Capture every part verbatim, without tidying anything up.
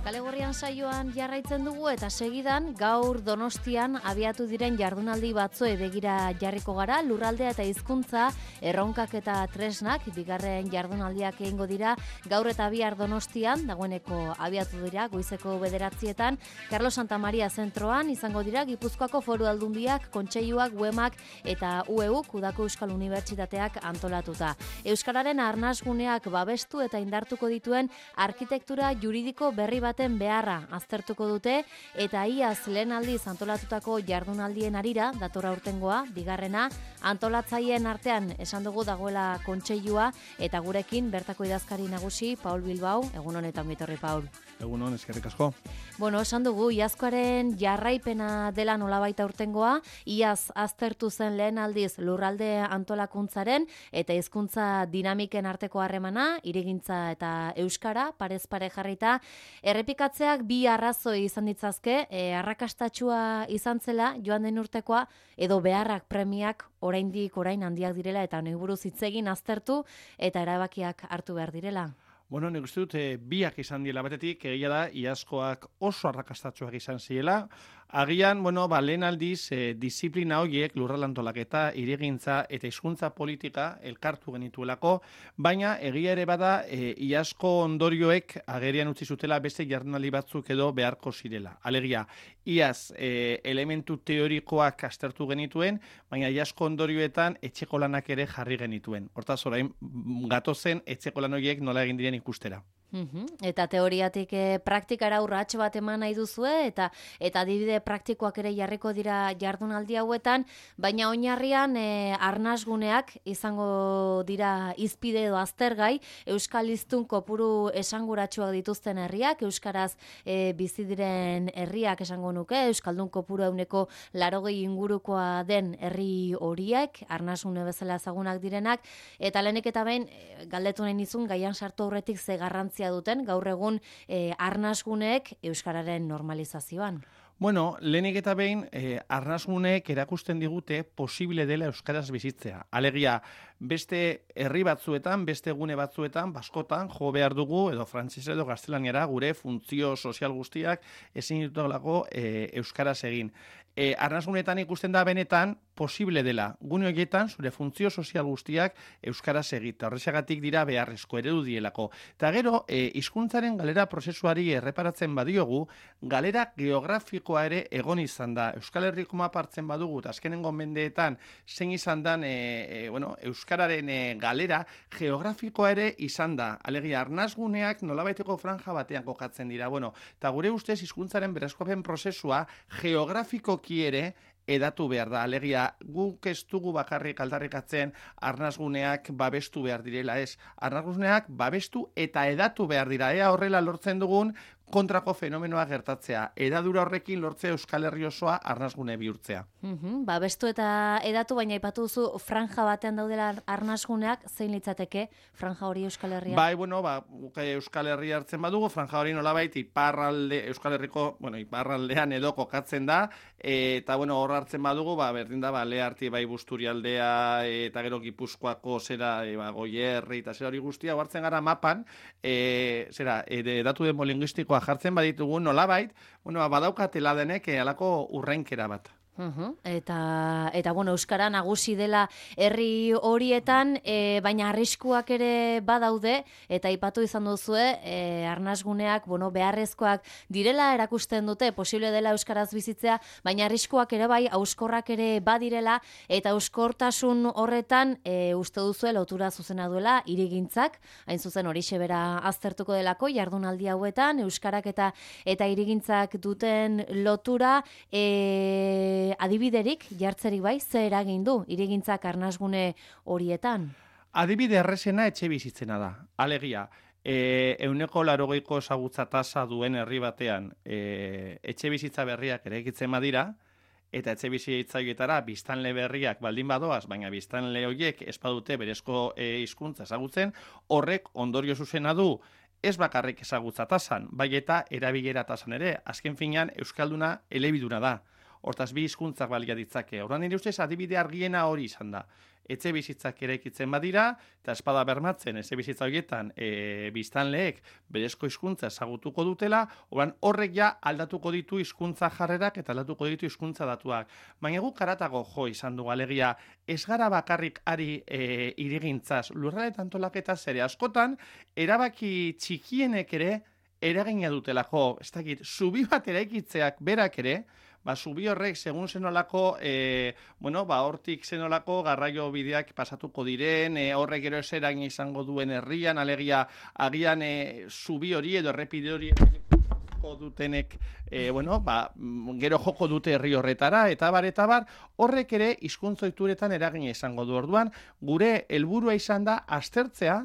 Kale Gorrian saioan jarraitzen dugu eta segidan gaur Donostian abiatu diren jardunaldi batzuei begira jarriko gara. Lurraldea eta hizkuntza, erronkak eta tresnak bigarren jardunaldiak egingo dira gaur eta bihar Donostian, dagoeneko abiatu dira goizeko bederatzietan. Carlos Santamaria zentroan izango dira Gipuzkoako Foru Aldundiak, Kontseiluak, Uemak eta U E U Udako Euskal Unibertsitateak antolatuta. Euskararen arnasguneak babestu eta indartuko dituen arkitektura juridiko berri bat baten beharra aztertuko dute eta iaz lehen aldiz antolatutako jardunaldien arira, dator aurtengoa, bigarrena, antolatzaileen artean esan dugu dagoela kontseilua eta gurekin bertako idazkari nagusi Paul Bilbao, egun honetan bitorri Paul. Egun hon, eskerrik asko. Bueno, esan dugu, iazkoaren jarraipena dela nolabait aurtengoa, iaz aztertu zen lehen aldiz lurralde antolakuntzaren eta hizkuntza dinamiken arteko harremana, hirigintza eta euskara, parez pare jarrita, errepikatzeak bi arrazoi izan ditzazke, e, arrakastatsua izan zela joan den urtekoa, edo beharrak premiak oraindik orain handiak direla eta nahi buruz hitz egin aztertu eta erabakiak hartu behar direla. Bueno, nik uste dut, e, biak izan diela batetik, egia da, iazkoak oso arrakastatsuak izan ziela. Agian, bueno, ba, lehen aldiz, e, disiplina horiek, lurralde antolaketa, hirigintza eta hizkuntza politika elkartu genituelako, baina egia ere bada, e, iazko ondorioek agerian utzi zutela beste jardunaldi batzuk edo beharko zirela. Alegia, iaz e, elementu teorikoak aztertu genituen, baina iazko ondorioetan etxeko lanak ere jarri genituen. Hortaz, orain, gatozen etxeko lan horiek nola egin diren ikustera. Uhum. Eta teoriatik e, praktikara urrats bat eman nahi duzue eta eta adibide praktikoak ere jarriko dira jardunaldi hauetan, baina oinarrian e, arnasguneak izango dira hizpide edo aztergai, euskal hiztun kopuru esanguratsuak dituzten herriak, euskaraz e, bizi diren herriak esango nuke, euskaldun kopuru ehuneko laurogei ingurukoa den herri horiek, arnasgune bezala ezagunak direnak, eta lehenik eta behin e, galdetu nahi nizun gaian sartu aurretik ze garrantzia duten gaur egun eh, arnasguneek euskararen normalizazioan. Bueno, lehenik eta behin, eh, arnasguneek erakusten digute posible dela euskaraz bizitzea. Alegia, beste herri batzuetan, beste gune batzuetan, baskotan, jo behar dugu, edo frantzese edo gaztelaniara, gure funtzio sozial guztiak ezin ditugulako eh, euskaraz egin. E, arnasgunetan ikusten da benetan posible dela. Gune horietan zure funtzio sozial guztiak euskaraz egita. Horrexagatik dira beharrezko eredu dielako. Eta gero, e, hizkuntzaren galera prozesuari erreparatzen badiogu, galera geografikoa ere egon izan da. Euskal Herriko mapa hartzen badugu, eta azkenengo mendeetan zein izan dan e, e, bueno, euskararen e, galera geografikoa ere izan da. Alegia, arnasguneak nolabaiteko franja batean kokatzen dira. Bueno, eta gure ustez hizkuntzaren berezkoapen prozesua geografiko ere edatu behar da. Alegia, guk ez dugu bakarrik aldarrikatzen arnasguneak babestu behar direla, ez. Arnasguneak babestu eta edatu behar dira. Ea horrela lortzen dugun kontrako fenomenoa gertatzea. Edadura horrekin lortzea Euskal Herri osoa arnasgune bihurtzea. Uhum, babestu eta edatu, baina aipatu duzu franja batean daudela arnasguneak, zein litzateke franja hori Euskal Herria? Bai, bueno, ba, Euskal Herria hartzen badugu, franja hori nolabait iparralde, Euskal Herriko, bueno, iparraldean edo kokatzen da, eta bueno, hor hartzen badugu, ba, berdin da, ba, Leharti, bai, Busturialdea, eta gero Gipuzkoako zera, e, ba, Goierri, eta zera hori guztia, hartzen gara mapan, e, zera, edatu demolingistikoa jartzen baditugu nolabait, bueno, badaukatela denek halako urrenkera bat. Uhum. Eta, eta bueno, euskara nagusi dela herri horietan, e, baina arriskuak ere badaude, eta aipatu izan duzue, e, arnasguneak, bueno, beharrezkoak direla erakusten dute, posible dela euskaraz bizitzea, baina arriskuak ere bai, hauskorrak ere badirela, eta hauskortasun horretan, e, uste duzue lotura zuzena duela, hirigintzak, hain zuzen horixe bera aztertuko delako, jardunaldi hauetan, euskarak eta eta hirigintzak duten lotura, e, adibiderik jartzerik bai, ze eragin du hirigintzak arnasgune horietan? Adibide errezena etxe bizitzena da. Alegia, e, euneko larogeiko ezagutza tasa duen herri batean e, etxe bizitza berriak eraikitzen badira, eta etxe bizitzaioetara biztanle berriak baldin badoaz, baina biztanle horiek ez badute berezko e, hizkuntza ezagutzen, horrek ondorio zuzena du ez bakarrik ezagutza tasan, bai eta erabilera tasan ere, azken finean euskalduna elebiduna da. Hortaz, bi hizkuntzak balia ditzake. Orduan nire ustez, adibide argiena hori izan da. Etxe bizitzak eraikitzen badira, eta espada bermatzen, etxe bizitza horietan e, biztanleek berezko hizkuntza ezagutuko dutela, oran horrek ja aldatuko ditu hizkuntza jarrerak eta aldatuko ditu hizkuntza datuak. Baina guk karatago jo izan dugu alegia, ez gara bakarrik ari e, irigintzaz, lurralde antolaketaz ere askotan, erabaki txikienek ere eragina dutelako, ez dakit, zubi bat eraikitzeak berak ere, ba, zubi horrek, segun zenolako, e, bueno, ba, hortik zenolako garraio bideak pasatuko diren, e, horrek gero eseragin izango duen herrian, alegia, agian e, zubi hori edo errepide hori joko dutenek, e, bueno, ba, gero joko dute herri horretara, eta bar, eta bar, horrek ere hizkuntza ohituretan eragina izango du. Orduan, gure helburua izan da aztertzea,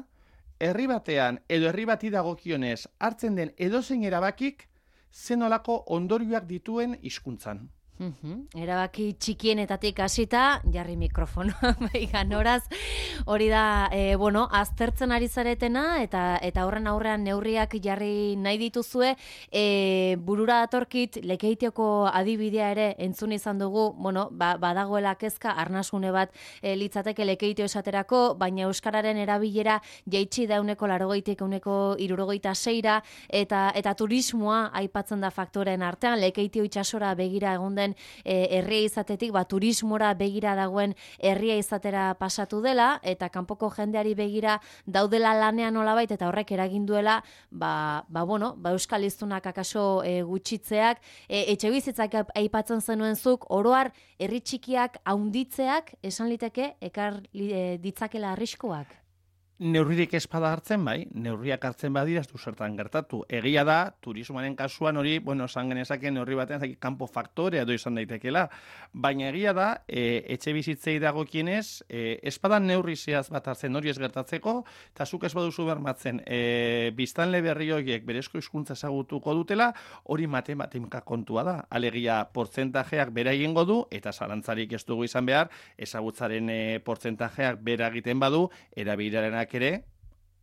herri batean edo herri bati dagokionez hartzen den edozein erabakik zenolako ondorioak dituen hizkuntzan. Uhum. Erabaki txikienetatik hasita, jarri mikrofonoa, baigan, horaz, hori da, e, bueno, aztertzen ari zaretena, eta eta horren aurrean neurriak jarri nahi dituzue, e, burura datorkit, Lekeitioko adibidea ere entzun izan dugu, bueno, ba, badagoela kezka, arnasgune bat e, litzateke Lekeitio esaterako, baina euskararen erabilera jaitsi da uneko larogeitik uneko irurogeita seira, eta, eta turismoa aipatzen da faktoren artean, Lekeitio itsasora begira egon den herria izatetik, ba, turismora begira dagoen herria izatera pasatu dela, eta kanpoko jendeari begira daudela lanean nolabait, eta horrek eragin duela, ba, ba, bueno, ba, euskal hiztunak akaso e, gutxitzeak, e, etxe bizitzak aipatzen zenuen zuk, oroar herri txikiak haunditzeak, esan liteke, ekar e, ditzakela arriskuak? Neurririk espada hartzen, bai, neurriak hartzen badira, ez du zertan gertatu. Egia da, turismoaren kasuan hori, bueno, esan genezake neurri batean, zaki, kanpo faktorea edo izan daitekela, baina egia da, e, etxe bizitzei dagokienez, e, espada neurri zehaz bat hartzen hori ez gertatzeko, eta zuk ez baduzu bermatzen, e, biztanle berri horiek berezko hizkuntza ezagutuko dutela, hori matematika kontua da. Alegia, portzentajeak bera egingo du, eta zalantzarik ez dugu izan behar, ezagutzaren e, portzentajeak bera egiten badu, erabilerenak ere,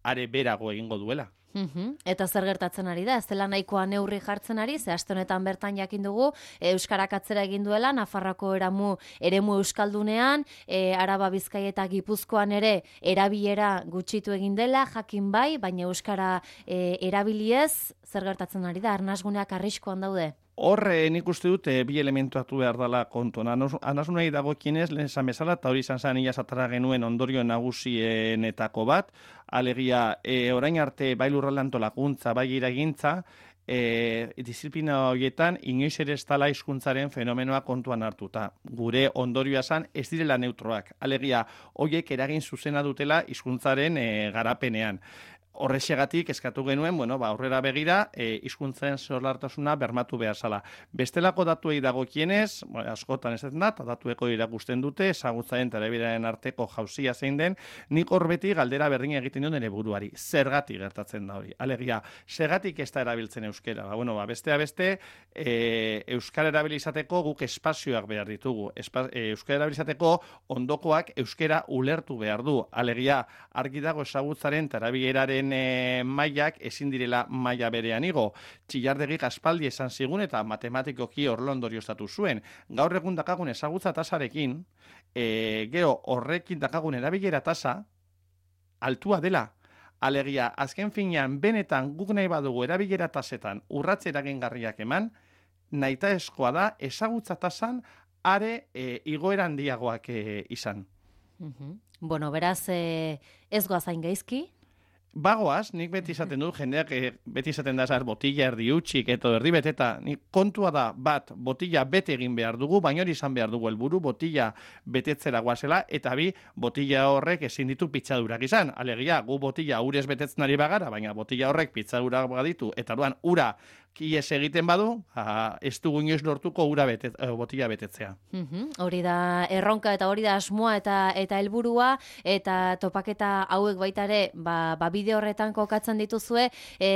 are berago egingo duela. Uhum. Eta zer gertatzen ari da? Ez dela nahikoa neurri jartzen ari, ze aste honetan bertan jakin dugu, e, euskarak atzera egin duela, Nafarroako eramu, eremu euskaldunean, e, Araba, Bizkaia eta Gipuzkoan ere erabilera gutxitu egin dela, jakin bai, baina euskara e, erabiliez, zer gertatzen ari da? Arnasguneak arriskoan daude? Horre, nik uste dute bi elementu atu behar dela kontuan. Anasunei dagokienez, lehen esan bezala, eta hori izan zen ia zatara genuen ondorio nagusienetako bat, alegia, e, orain arte bai lurralde antolakuntza, bai iragintza, e, disiplina horietan inoiz ere ez dela hizkuntzaren fenomenoa kontuan hartuta. Gure ondorioa zen ez direla neutroak. Alegia, horiek eragin zuzena dutela hizkuntzaren e, garapenean. Horrexegatik eskatu genuen, bueno, ba, aurrera begira, e, hizkuntzaren zorlartasuna bermatu behar zala. Bestelako datuei dagokienez, bueno, askotan ez da, eta datueko irakusten dute, ezagutzaren eta erabileraren arteko jauzia zein den, nik hor beti galdera berdin egiten duen ere buruari. Zergatik gertatzen da hori. Alegia, zergatik ez da erabiltzen euskera. Ba, bueno, ba, bestea beste, e, euskara erabilizateko guk espazioak behar ditugu. Espa, e, euskara erabilizateko ondokoak euskera ulertu behar du. Alegia, argi dago ezagutzaren eta erabileraren E, mailak ezin direla maila berean igo. Txillardegik aspaldi esan zigun eta matematikoki horrela ondorioztatu zuen. Gaur egun dakagun ezagutza tasarekin, e, gero horrekin dakagun erabilera tasa altua dela. Alegia, azken finean, benetan guk nahi badugu erabilera tasetan urratze eragingarriak eman, nahitaezkoa da ezagutza tasan are e, igoera handiagoak e, izan. Uhum. Bueno, beraz, e, ez goazain gaizki? Bagoaz, nik beti izaten dut, jendeak eh, beti izaten da zar botilla erdi utxik eto erdi beteta, nik kontua da bat botilla bete egin behar dugu, baina hori izan behar dugu helburu botilla betetzera guazela, eta bi botilla horrek ezin ditu pitzadurak izan. Alegia, gu botilla urez betetzen ari bagara, baina botilla horrek pitzadurak baditu, eta duan ura kies egiten badu, a, ez dugu inoiz lortuko ura betet, e, botilla betetzea. Uhum. Hori da erronka eta hori da asmoa eta eta helburua eta topaketa hauek baita ere, ba, ba bide horretan kokatzen dituzue, e,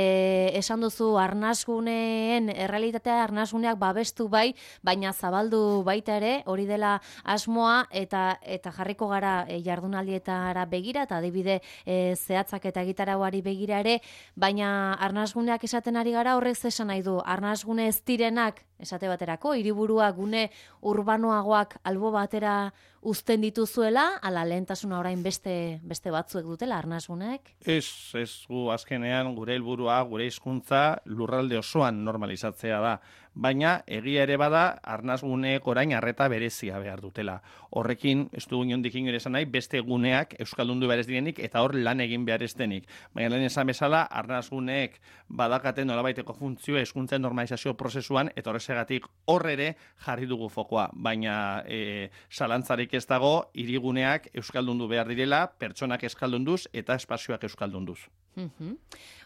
esan duzu arnasguneen errealitatea arnasguneak babestu bai, baina zabaldu baita ere, hori dela asmoa eta eta jarriko gara e, jardunaldietara begira eta adibide e, zehatzak eta gitarauari begira ere, baina arnasguneak esaten ari gara horrek zesan nahi du, arnasgune ez direnak, esate baterako, hiriburua gune urbanoagoak albo batera uzten dituzuela, ala lehentasuna orain beste beste batzuek dutela arnasguneek? Ez, ez gu azkenean gure helburua, gure hizkuntza lurralde osoan normalizatzea da. Baina egia ere bada arnasguneek orain arreta berezia behar dutela. Horrekin, ez dugu inondik ere esan nahi, beste guneak euskaldundu behar ez direnik eta hor lan egin behar ez denik. Baina lehen esan bezala, arnasguneek badakaten nolabaiteko funtzioa hizkuntzen normalizazio prozesuan eta horrezegatik hor ere jarri dugu fokoa. Baina e, salantzarik ez dago, hiriguneak euskaldundu behar direla, pertsonak euskaldunduz eta espazioak euskaldunduz. Mhm.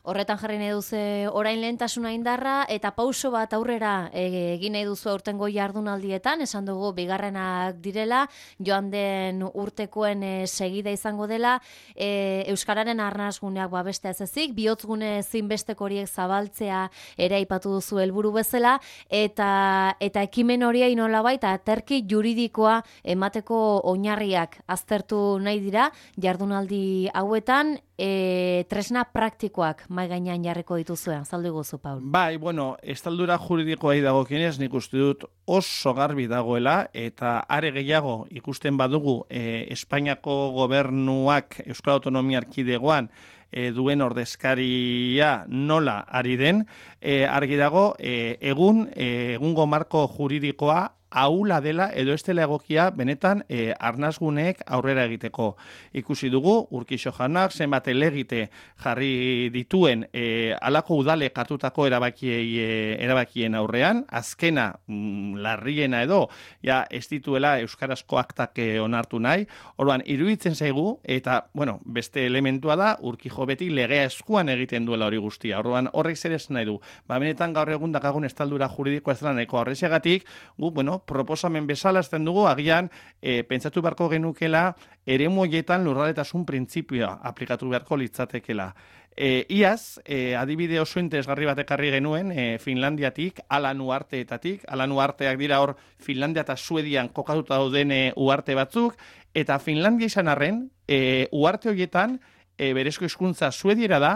Horretan jarri nahi duzu orain lehentasuna indarra eta pauso bat aurrera egin nahi duzu aurtengo jardunaldietan, esan dugu bigarrenak direla, joan den urtekoen e, segida izango dela, e, euskararen arnasguneak babestea ez ezik, bihotzgune zinbesteko horiek zabaltzea ere aipatu duzu helburu bezala, eta eta ekimen horiei nolabait aterki juridikoa emateko oinarriak aztertu nahi dira jardunaldi hauetan, e, tresna praktikoak mai gainean jarriko dituzuen, azaldu guzu, Paul. Bai, bueno, estaldura juridikoa dagokienez nik uste dut oso garbi dagoela, eta are gehiago ikusten badugu e, Espainiako gobernuak Euskal Autonomia Erkidegoan e, duen ordezkaria nola ari den, e, argi dago e, egun e, egungo marko juridikoa ahula dela edo ez dela egokia benetan e, arnasguneek aurrera egiteko. Ikusi dugu, Urkixo jaunak zenbat elegite jarri dituen e, alako udale katutako erabakiei, e, erabakien aurrean, azkena mm, larriena edo, ja ez dituela euskarazko aktak e, onartu nahi, orduan iruditzen zaigu, eta bueno, beste elementua da, Urkijo beti legea eskuan egiten duela hori guztia, orduan horrek zer ez nahi du, ba benetan gaur egun dakagun estaldura juridikoa ez dela nahiko horrezegatik, gu, bueno, proposamen bezala ezten dugu, agian e, pentsatu beharko genukela eremu horietan lurraldetasun printzipioa aplikatu beharko litzatekela. E, iaz, e, adibide oso interesgarri bat ekarri genuen e, Finlandiatik, Alan uharteetatik, Alan uharteak dira hor Finlandia eta Suedian kokatuta dauden e, uharte batzuk, eta Finlandia izan arren, e, uharte horietan e, berezko hizkuntza suediera da,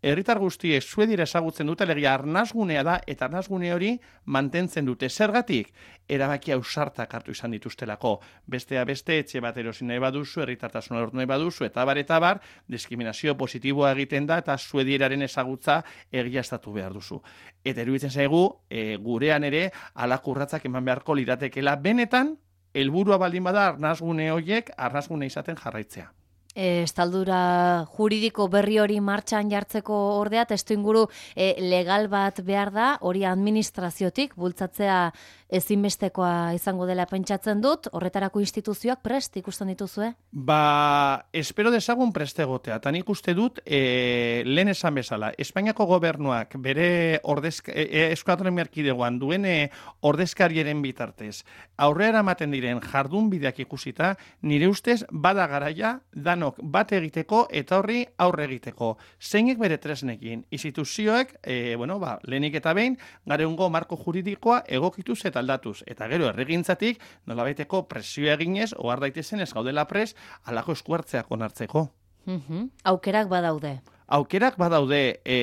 herritar guztiek suediera ezagutzen dute, legia arnasgunea da, eta arnasgune hori mantentzen dute. Zergatik, erabaki ausartak hartu izan dituztelako. Bestea beste, etxe bat erosi nahi baduzu, herritartasuna lortu nahi baduzu, eta bar, eta bar, diskriminazio positiboa egiten da, eta suedieraren ezagutza egiaztatu behar duzu. Eta eruditzen zaigu, e, gurean ere, halako urratsak eman beharko liratekela, benetan, helburua baldin bada arnasgune horiek, arnasgune izaten jarraitzea. E, estaldura juridiko berri hori martxan jartzeko ordea, testuinguru e, legal bat behar da, hori administraziotik bultzatzea ezinbestekoa izango dela pentsatzen dut, horretarako instituzioak prest ikusten dituzue? Ba, espero dezagun prest egotea, eta nik uste dut, e, lehen esan bezala, Espainiako gobernuak bere ordezka, e, Euskal Autonomia Erkidegoan duen e, ordezkariaren bitartez, aurrera ematen diren jardun bideak ikusita, nire ustez bada garaia danok bat egiteko eta horri aurre egiteko. Zeinek bere tresnekin, instituzioek, e, bueno, ba, lehenik eta behin, gareungo marko juridikoa egokituz eta aldatuz. Eta gero erregintzatik, nolabaiteko presioa eginez, ohar daitezen ez gaudela pres, alako eskuartzeak onartzeko. Mm-hmm. Aukerak badaude. Aukerak badaude, e,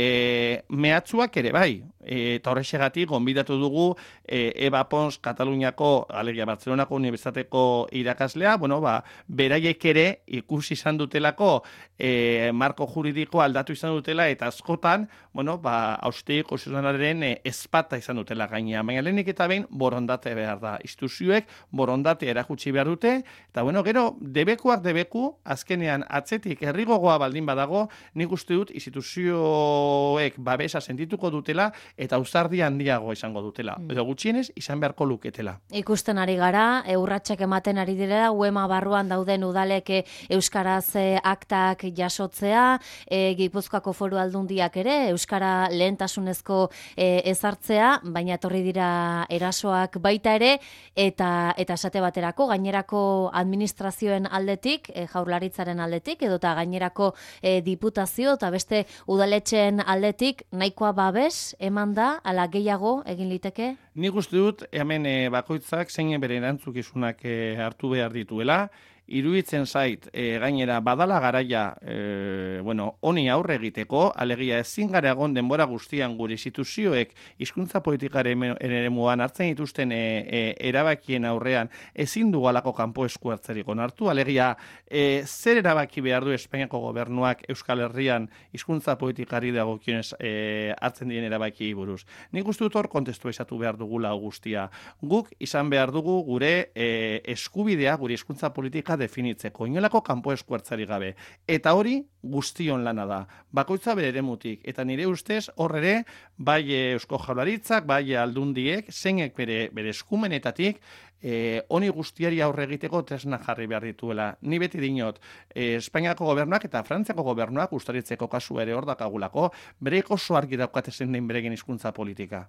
mehatzuak ere bai, e, eta horrexegatik gonbidatu dugu e, Eba Pons Kataluniako, alegia Bartzelonako Unibertsitateko irakaslea, bueno, ba, beraiek ere ikusi izan dutelako e, marko juridiko aldatu izan dutela, eta askotan, bueno, ba, austegi konstituzionalaren e, ezpata izan dutela gainea. Baina lehenik eta behin borondate behar da. Instituzioek borondate erakutsi behar dute, eta bueno, gero, debekuak debeku, azkenean atzetik herrigogoa baldin badago, nik uste dut instituzioek babesa sentituko dutela eta ausardia handiago izango dutela. Mm. Edo gutxienez izan beharko luketela. Ikusten ari gara, urratsak ematen ari direla, uema barruan dauden udalek euskaraz aktak jasotzea, e, Gipuzkoako Foru Aldundiak ere euskara lehentasunezko e, ezartzea, baina etorri dira erasoak baita ere, eta eta esate baterako gainerako administrazioen aldetik, e, Jaurlaritzaren aldetik, edota gainerako e, diputazio eta beste udaletxeen aldetik nahikoa babes eman da, ala gehiago egin liteke? Nik uste dut, hemen e, bakoitzak zein bere erantzukizunak e, hartu behar dituela, iruditzen zait, e, gainera badala garaia, e, bueno, honi aurre egiteko, alegia ezin gara egon denbora guztian gure instituzioek hizkuntza politikaren eremuan hartzen dituzten e, e, erabakien aurrean ezin du halako kanpo esku hartzerik onartu, alegia e, zer erabaki behar du Espainiako gobernuak Euskal Herrian hizkuntza politikari dagokionez e, hartzen diren erabaki buruz. Nik uste dut hor kontestu esatu behar dugula guztia. Guk izan behar dugu gure e, eskubidea, gure hizkuntza politika definitzeko, inolako kanpo esku hartzerik gabe. Eta hori guztion lana da. Bakoitza bere eremutik. Eta nire ustez hor ere, bai Eusko Jaurlaritzak, bai aldundiek, zeinek bere, bere eskumenetatik, Eh, honi guztiari aurre egiteko tresna jarri behar dituela. Ni beti dinot, eh, Espainiako gobernuak eta Frantziako gobernuak ustaritzeko kasu ere hor dakagulako, bere oso argi daukate zein den beregen hizkuntza politika.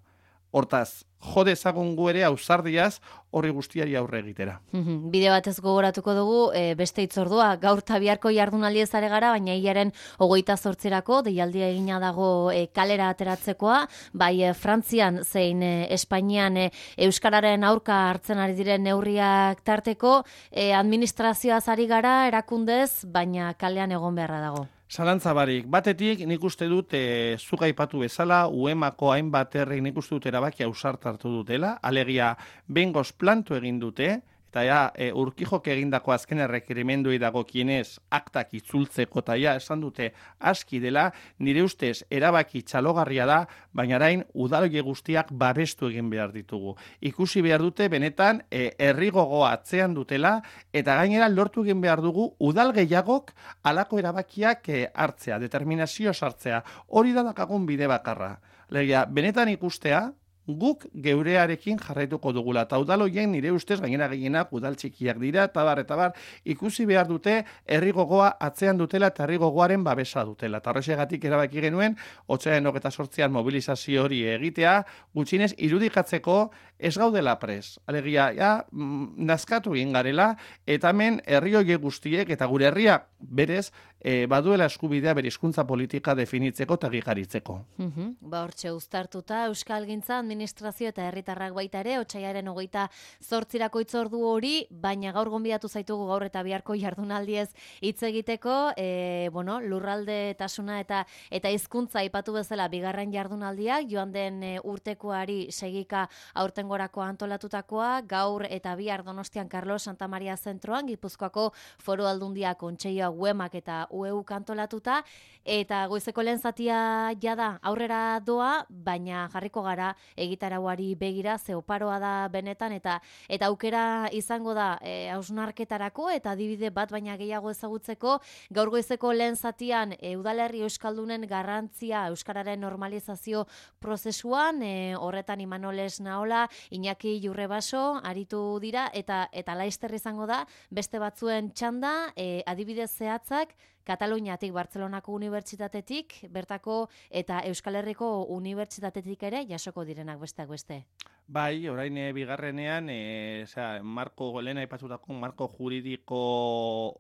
Hortaz, jode ezagun gu ere ausardiaz horri guztiari aurre egitera. Bide batez gogoratuko dugu, e, beste itzordua, gaur tabiarko jardunaldi ezare gara, baina hilaren hogeita zortzirako, deialdia egina dago e, kalera ateratzekoa, bai e, Frantzian zein e, Espainian e, Euskararen aurka hartzen ari diren neurriak tarteko, e, administrazioaz ari gara, erakundez, baina kalean egon beharra dago. Zalantza barik, batetik nik uste dut e, zuk aipatu bezala, U E M ako hainbat herrik nik uste dut erabakia ausart hartu dutela, alegia bengoz planto egin dute, eta ja, e, Urquijok egindako azken errekerimenduei dagokienez aktak itzultzeko eta ja, esan dute aski dela, nire ustez erabaki txalogarria da, baina arain udaloie guztiak babestu egin behar ditugu. Ikusi behar dute benetan e, herri gogoa atzean dutela, eta gainera lortu egin behar dugu udal gehiagok halako erabakiak e, hartzea, determinazio sartzea. Hori da dakagun bide bakarra. Legia, benetan ikustea, guk geurearekin jarraituko dugula. Eta udaloien nire ustez gainera gehienak udal txikiak dira, eta bar, eta bar, ikusi behar dute herri gogoa atzean dutela eta herri gogoaren babesa dutela. Eta horrexegatik erabaki genuen, otsailaren hogeita zortzian mobilizazio hori egitea, gutxinez irudikatzeko ez gaudela pres. Alegia, ja, nazkatu egin garela, eta hemen herri horiek guztiek eta gure herriak berez, E, baduela eskubidea bere hizkuntza politika definitzeko eta gigaritzeko. Uh-huh. Ba hortxe uztartuta Euskalgintza administrazio eta herritarrak baita ere otsailaren hogeita zortzirako itzordu hori, baina gaur gonbidatu zaitugu gaur eta biharko jardunaldiez hitz egiteko, e, bueno, lurralde tasuna eta eta hizkuntza aipatu bezala bigarren jardunaldiak joan den e, urtekoari segika aurtengorako antolatutakoa, gaur eta bihar Donostian Carlos Santa Maria zentroan, Gipuzkoako Foru Aldundia Kontseilua U E M ak eta U E U kantolatuta, eta goizeko lehen zatia jada aurrera doa, baina jarriko gara egitarauari begira, ze oparoa da benetan, eta eta aukera izango da e, hausnarketarako eta adibide bat baina gehiago ezagutzeko, gaur goizeko lehen zatian e, udalerri euskaldunen garrantzia euskararen normalizazio prozesuan, e, horretan Imanoles Naola, Iñaki Jurrebaso aritu dira, eta eta laister izango da beste batzuen txanda, e, adibide zehatzak Kataluniatik, Bartzelonako unibertsitatetik, bertako eta Euskal Herriko unibertsitatetik ere jasoko direnak besteak beste. Bai, orain e, bigarrenean, e, osea, marko lehen aipatutako marko juridiko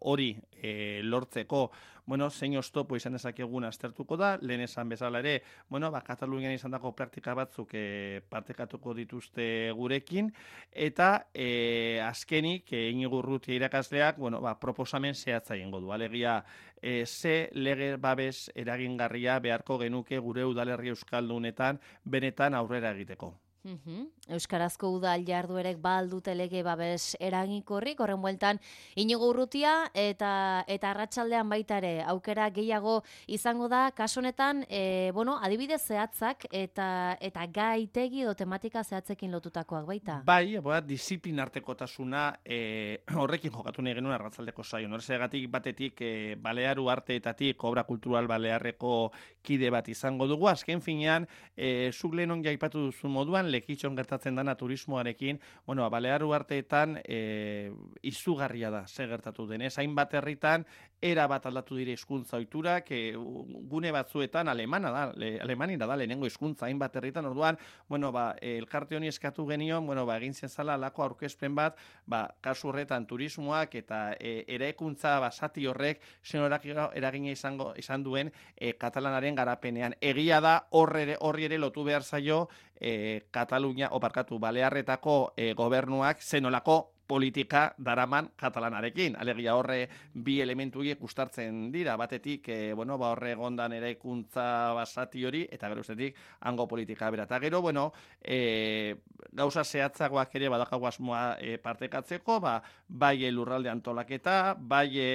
hori e, lortzeko, bueno, zein oztopo izan dezakegun aztertuko da, lehen esan bezala ere, bueno, ba, Katalunian izandako praktika batzuk e, partekatuko dituzte gurekin, eta e, azkenik, e, Inigo Urrutia irakasleak, bueno, ba, proposamen zehatza egingo du, alegia, e, ze lege babes eragingarria beharko genuke gure udalerri euskaldunetan benetan aurrera egiteko. Uhum. Euskarazko udal jarduerek baldute lege babes eraginkorrik, horren bueltan Inigo Urrutia eta eta arratsaldean baita ere aukera gehiago izango da, kasu honetan, e, bueno, adibide zehatzak eta eta gaitegi edo tematika zehatzekin lotutakoak baita. Bai, boa, disiplinartekotasuna e, horrekin jokatu nahi genuen arratsaldeko saion. Horregatik batetik e, Balearu arteetatik obra kultural balearreko kide bat izango dugu. Azken finean, e, zuk lehenon jaipatu duzu moduan, lekitxon gertatzen dana turismoarekin, bueno, Balearu arteetan e, izugarria da, ze gertatu denez, hainbat herritan, era bat aldatu dire hizkuntza ohiturak, e, gune batzuetan alemana da, le, alemanira da lehenengo hizkuntza hainbat herritan, orduan, bueno, ba, elkarte honi eskatu genion, bueno, ba, egin zezala alako aurkezpen bat, ba, kasu horretan turismoak eta e, eraikuntza basati horrek zen eragina izango izan duen e, katalanaren garapenean. Egia da horri ere, horri ere lotu behar zaio e, Katalunia, oparkatu, Balearretako e, gobernuak zenolako politika daraman katalanarekin. Alegia horre bi elementu horiek ustartzen dira. Batetik, e, bueno, ba horre egondan eraikuntza basati hori, eta gero ustetik hango politika bera. Eta gero, bueno, e, gauza zehatzagoak ere badakagu asmoa e, partekatzeko, ba, bai lurralde antolaketa, bai e,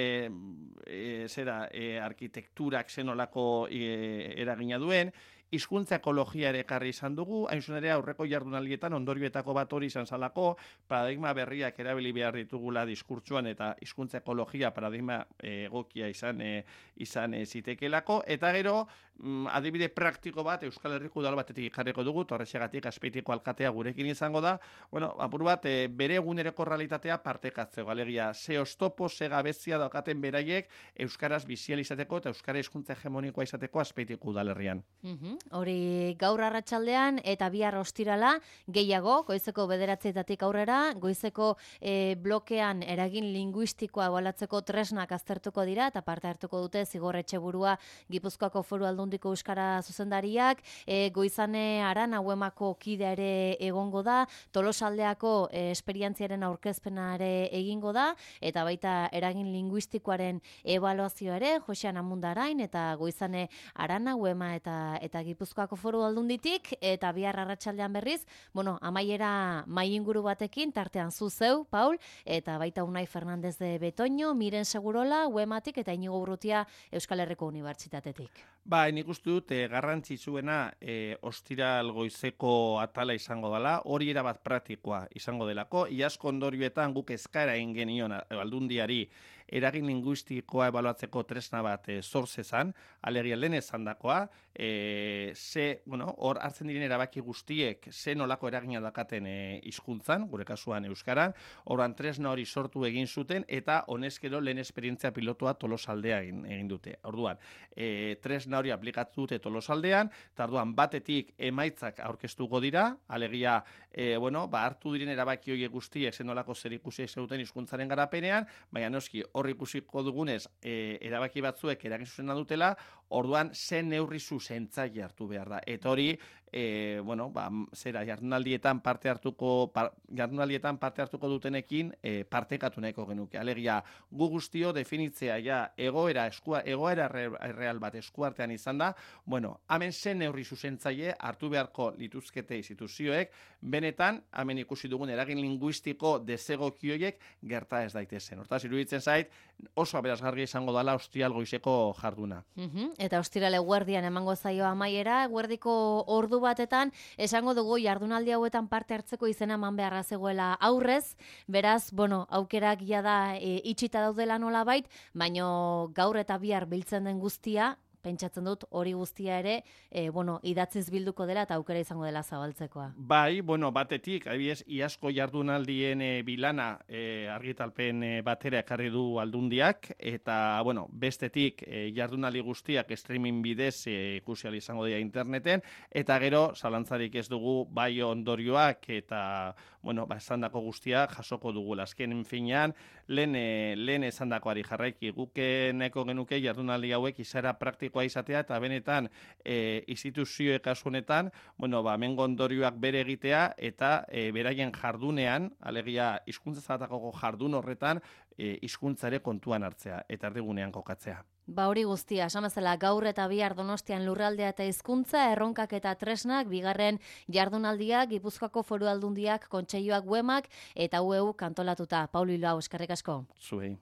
e, zera, e, arkitekturak zenolako e, eragina duen, hizkuntza ekologia ere ekarri izan dugu, hain zuen ere aurreko jardunaldietan ondorioetako bat hori izan zalako, paradigma berriak erabili behar ditugula diskurtsuan eta hizkuntza ekologia paradigma egokia izan e, izan e, zitekelako, eta gero mm, adibide praktiko bat Euskal Herriko udal batetik jarriko dugu, torrexegatik Azpeitiko alkatea gurekin izango da, bueno, apur bat, e, bere eguneroko realitatea partekatzeko, alegia, ze oztopo, ze gabezia daukaten beraiek euskaraz bizializateko eta euskara hizkuntza hegemonikoa izateko Azpeitiko udalerrian. Mhm. Hori gaur arratsaldean eta bihar ostirala gehiago, goizeko bederatzietatik aurrera, goizeko e, blokean eragin linguistikoa ebaluatzeko tresnak aztertuko dira eta parte hartuko dute Zigor Etxeburua Gipuzkoako Foru Aldundiko euskara zuzendariak, e, Goizane Arana Uemako kidea ere egongo da, Tolosaldeako e, esperientziaren aurkezpena ere egingo da, eta baita eragin linguistikoaren ebaluazioa ere, Josean Amundarain eta Goizane Arana Uema eta eta Gipuzkoako Foru Aldunditik, eta bihar arratsaldean berriz, bueno, amaiera mai inguru batekin, tartean zu zeu, Paul, eta baita Unai Fernandez de Betoño, Miren Segurola, Uematik, eta Inigo Urrutia Euskal Herriko Unibertsitatetik. Ba, nik uste dut, e, garrantzitsuena e, ostiral goizeko atala izango dela, hori erabat praktikoa izango delako, iazko ondorioetan guk eskaera egin genion aldundiari eragin linguistikoa ebaluatzeko tresna bat e, zor zezan, alegia lehen esan dakoa, e, ze, bueno, hor hartzen diren erabaki guztiek ze nolako eragina dakaten e, hizkuntzan, gure kasuan euskaran, horan tresna hori sortu egin zuten, eta honezkero lehen esperientzia pilotua Tolosaldea egin, egin dute. Orduan, e, tresna hori aplikatu dute Tolosaldean, eta orduan batetik emaitzak aurkeztuko dira, alegia, e, bueno, ba, hartu diren erabaki horiek guztiek ze nolako zer ikusi zeuten hizkuntzaren garapenean, baina noski hor ikusiko dugunez e, erabaki batzuek eragin zuzena dutela, orduan zen neurri zuzentzaile hartu behar da. Eta hori, e, bueno, ba, zera, jardunaldietan parte hartuko, par, jardunaldietan parte hartuko dutenekin e, partekatu nahiko genuke. Alegia, gu guztio definitzea ja egoera, eskua, egoera real bat eskuartean izan da, bueno, hemen zen neurri zuzentzaile hartu beharko lituzkete instituzioek, benetan, hemen ikusi dugun eragin linguistiko desegokioiek gerta ez daitezen. Hortaz, iruditzen zait, oso aberasgarri izango dela ostiral goizeko jarduna. Uhum, eta ostirale guardian emango zaio amaiera, guardiko ordu batetan, esango dugu jardunaldi hauetan parte hartzeko izena eman beharra zegoela aurrez, beraz, bueno, aukerak ja da e, itxita daudela nolabait, baino gaur eta bihar biltzen den guztia, pentsatzen dut hori guztia ere, e, bueno, idatziz bilduko dela eta aukera izango dela zabaltzekoa. Bai, bueno, batetik, adibidez, iazko jardunaldien e, bilana e, argitalpen e, batera ekarri du aldundiak, eta, bueno, bestetik e, jardunaldi guztiak streaming bidez e, ikusi ahal izango dira interneten, eta gero, zalantzarik ez dugu bai ondorioak eta, bueno, ba, esandako guztia jasoko dugu. Azken finean, lehen, e, lehen esandakoari jarraiki, guke neko genuke jardunaldi hauek izara praktikoa izatea eta benetan e, instituzioek kasu honetan, bueno, ba, mengo ondorioak bere egitea eta e, beraien jardunean, alegia hizkuntza zalatako jardun horretan, e, hizkuntzare kontuan hartzea eta erdigunean kokatzea. Ba hori guztia, esan bezala gaur eta bihar Donostian lurraldea eta hizkuntza, erronkak eta tresnak, bigarren jardunaldiak, Gipuzkoako Foru Aldundiak, Kontseiluak Uemak eta U E U kantolatuta. Paulo Ilau, eskerrik asko. Zuei.